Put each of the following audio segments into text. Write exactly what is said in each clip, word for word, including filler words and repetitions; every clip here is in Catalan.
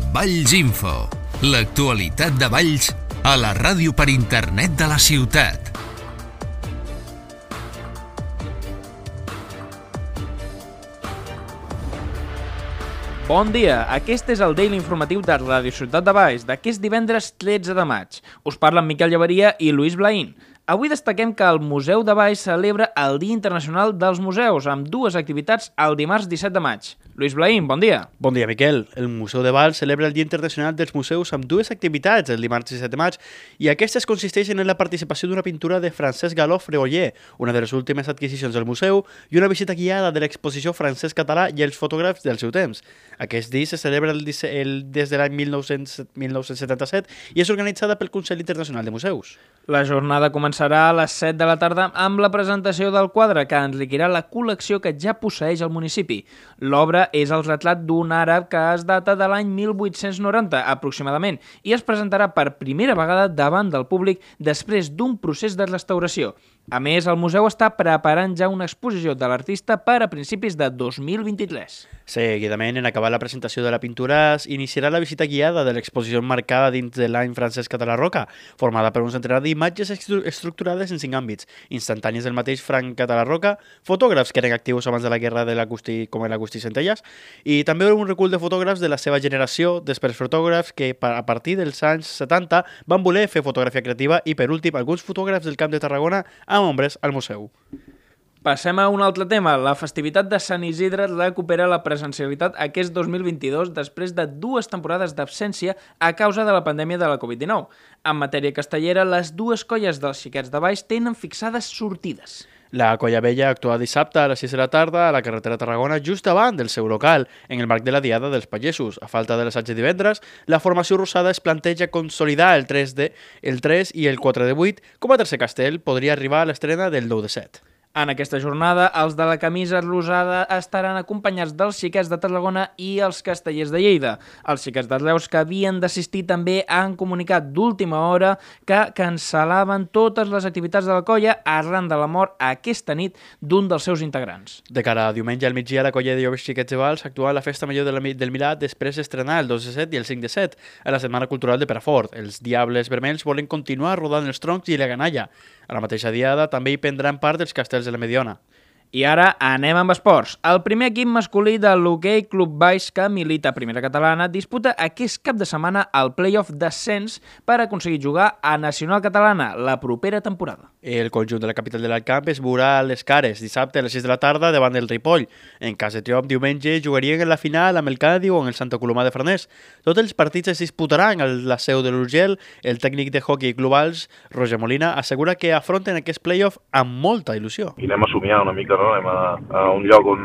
Valls Info, l'actualitat de Valls a la ràdio per internet de la ciutat. Bon dia, aquest és el Daily Informatiu de Ràdio Ciutat de Valls d'aquest divendres tretze de maig. Us parlen Miquel Llaveria i Luis Blaín. Avui destaquem que el Museu de Valls celebra el Dia Internacional dels Museus amb dues activitats el dimarts disset de maig. Luis Blaín, bon dia. Bon dia, Miquel. El Museu de Valls celebra el Dia Internacional dels Museus amb dues activitats el dimarts disset de maig i aquestes consisteixen en la participació d'una pintura de Francesc Galó Freoller, una de les últimes adquisicions del museu, i una visita guiada de l'exposició Francesc Català i els fotògrafs del seu temps. Aquest dia se celebra el, el, des de l'any mil nou-cents setanta-set i és organitzada pel Consell Internacional de Museus. La jornada començarà a les set de la tarda amb la presentació del quadre que enriquirà la col·lecció que ja posseeix el municipi. L'obra és el retrat d'un àrab que es data de l'any mil vuit-cents noranta, aproximadament, i es presentarà per primera vegada davant del públic després d'un procés de restauració. A més, el museu està preparant ja una exposició de l'artista per a principis de dos mil vint-i-tres. Seguidament, en acabar la presentació de la pintura, iniciarà la visita guiada de l'exposició marcada dins de l'any Francesc Català Roca, formada per un centenar d'imatges estructurades en cinc àmbits, instantànies del mateix Frank Català Roca, fotògrafs que eren actius abans de la guerra de l'Agustí, com l'Agustí Centelles, i també un recull de fotògrafs de la seva generació, després fotògrafs que a partir dels anys setanta van voler fer fotografia creativa i, per últim, alguns fotògrafs del Camp de Tarragona amb ombres al museu. Passem a un altre tema. La festivitat de Sant Isidre recupera la presencialitat aquest dos mil vint-i-dos després de dues temporades d'absència a causa de la pandèmia de la covid dinou. En matèria castellera, les dues colles dels Xiquets de Valls tenen fixades sortides. La Colla Vella actua dissabte a les sis de la tarda a la carretera Tarragona just davant del seu local, en el marc de la Diada dels Pagesos. A falta de l'assaig de divendres, la formació rosada es planteja consolidar el tres de, el tres i el quatre de vuit com a tercer castell podria arribar a l'estrena del nou de set. En aquesta jornada, els de la camisa rosada estaran acompanyats dels Xiquets de Tarragona i els Castellers de Lleida. Els Xiquets de Reus, que havien d'assistir, també han comunicat d'última hora que cancel·laven totes les activitats de la colla arran de la mort aquesta nit d'un dels seus integrants. De cara a diumenge al migdia, la colla de joves Xiquets de Valls actua a la Festa Major de la, del Milà després d'estrenar el dos de set i el cinc de set a la Setmana Cultural de Perafort. Els Diables Vermells volen continuar rodant els troncs i la ganalla. A la mateixa diada també hi prendran part els castells de la Mediona. I ara anem amb esports. El primer equip masculí de l'Hoquei Club Valls, que milita a Primera Catalana, disputa aquest cap de setmana el play-off d'ascens per aconseguir jugar a Nacional Catalana la propera temporada. El conjunt de la capital de l'Alcamp es veurà a les Cares dissabte a les sis de la tarda davant del Ripoll. En cas de triomf, diumenge jugarien en la final amb el Cádiz o en el Santa Coloma de Farners. Tots els partits es disputaran a la seu de l'Urgell. El tècnic de Hockey Club Valls, Roger Molina, assegura que afronten aquest play-off amb molta il·lusió. I anem a somiar una mica, no? Anem a, a un lloc on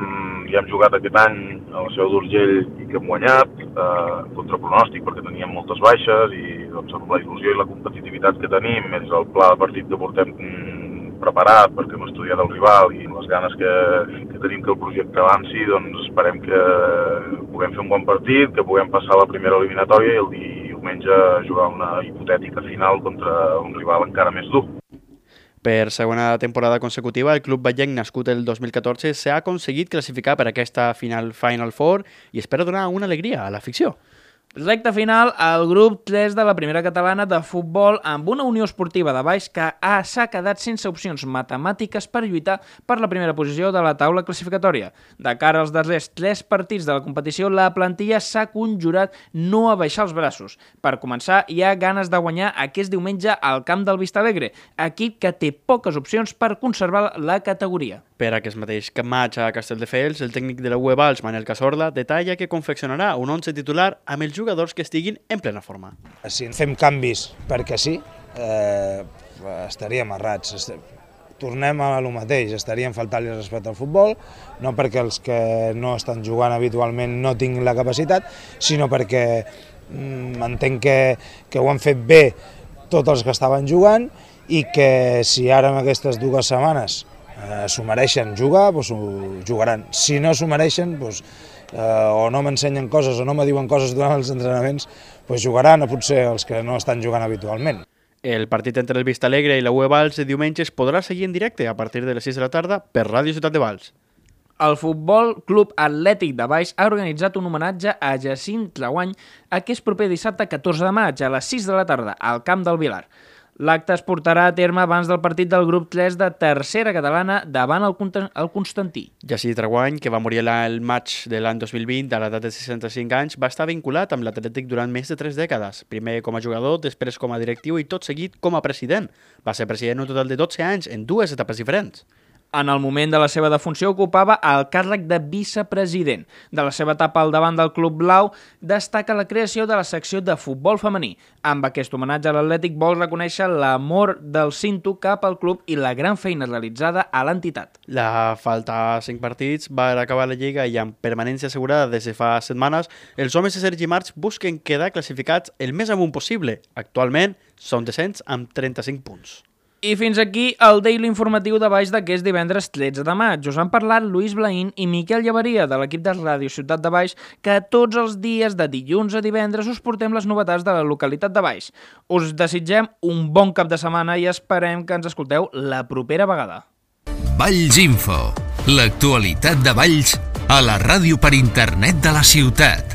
ja hem jugat aquest any a la seu d'Urgell i que hem guanyat, eh, contra pronòstic perquè teníem moltes baixes i doncs, amb la il·lusió i la competitivitat que tenim, més el pla de partit que portem mm, preparat perquè hem estudiat el rival i les ganes que, que tenim que el projecte avanci, doncs esperem que puguem fer un bon partit, que puguem passar la primera eliminatòria i el diumenge jugar una hipotètica final contra un rival encara més dur. Per segona temporada consecutiva, el club vallenc nascut el dos mil catorze s'ha aconseguit classificar per aquesta final Final Four i espera donar una alegria a l'afició. Recte final al grup tres de la Primera Catalana de futbol amb una Unió Esportiva de Valls que s'ha quedat sense opcions matemàtiques per lluitar per la primera posició de la taula classificatòria. De cara als darrers tres partits de la competició, la plantilla s'ha conjurat no a baixar els braços. Per començar, hi ha ganes de guanyar aquest diumenge al camp del Vistalegre, equip que té poques opcions per conservar la categoria. Per aquest mateix maig a Castelldefels, el tècnic de la U E Valls, Manel Casorda, detalla que confeccionarà un once titular amb els jugadors que estiguin en plena forma. Si fem canvis perquè sí, eh, estaríem errats. Tornem a lo mateix, estaríem faltant-li respecte al futbol, no perquè els que no estan jugant habitualment no tinguin la capacitat, sinó perquè mm, entenc que, que ho han fet bé tots els que estaven jugant i que si ara en aquestes dues setmanes eh, s'ho mereixen jugar, doncs ho jugaran. Si no s'ho mereixen, doncs, eh, o no m'ensenyen coses o no me diuen coses durant els entrenaments, doncs jugaran a potser els que no estan jugant habitualment. El partit entre el Vistalegre i la U E Valls de diumenge es podrà seguir en directe a partir de les sis de la tarda per Ràdio Ciutat de Valls. El Futbol Club Atlètic de Valls ha organitzat un homenatge a Jacint Tlaguany aquest proper dissabte catorze de maig a les sis de la tarda al Camp del Vilar. L'acte es portarà a terme abans del partit del grup tres de tercera catalana davant el, el Constantí. Jacint Tlaguany, que va morir el maig de l'any dos mil vint a l'edat de seixanta-cinc anys, va estar vinculat amb l'Atlètic durant més de tres dècades. Primer com a jugador, després com a directiu i tot seguit com a president. Va ser president un total de dotze anys en dues etapes diferents. En el moment de la seva defunció ocupava el càrrec de vicepresident. De la seva etapa al davant del Club Blau destaca la creació de la secció de futbol femení. Amb aquest homenatge a l'Atlètic vol reconèixer l'amor del Cinto cap al club i la gran feina realitzada a l'entitat. La falta cinc partits va acabar la Lliga i amb permanència assegurada des de fa setmanes, els homes de Sergi March busquen quedar classificats el més amunt possible. Actualment són descents amb trenta-cinc punts. I fins aquí el Daily Informatiu de Valls d'aquest divendres tretze de maig. Us han parlat Lluís Blaín i Miquel Llavaria de l'equip de Ràdio Ciutat de Valls, que tots els dies de dilluns a divendres us portem les novetats de la localitat de Valls. Us desitgem un bon cap de setmana i esperem que ens escolteu la propera vegada. Valls Info, l'actualitat de Valls a la ràdio per internet de la ciutat.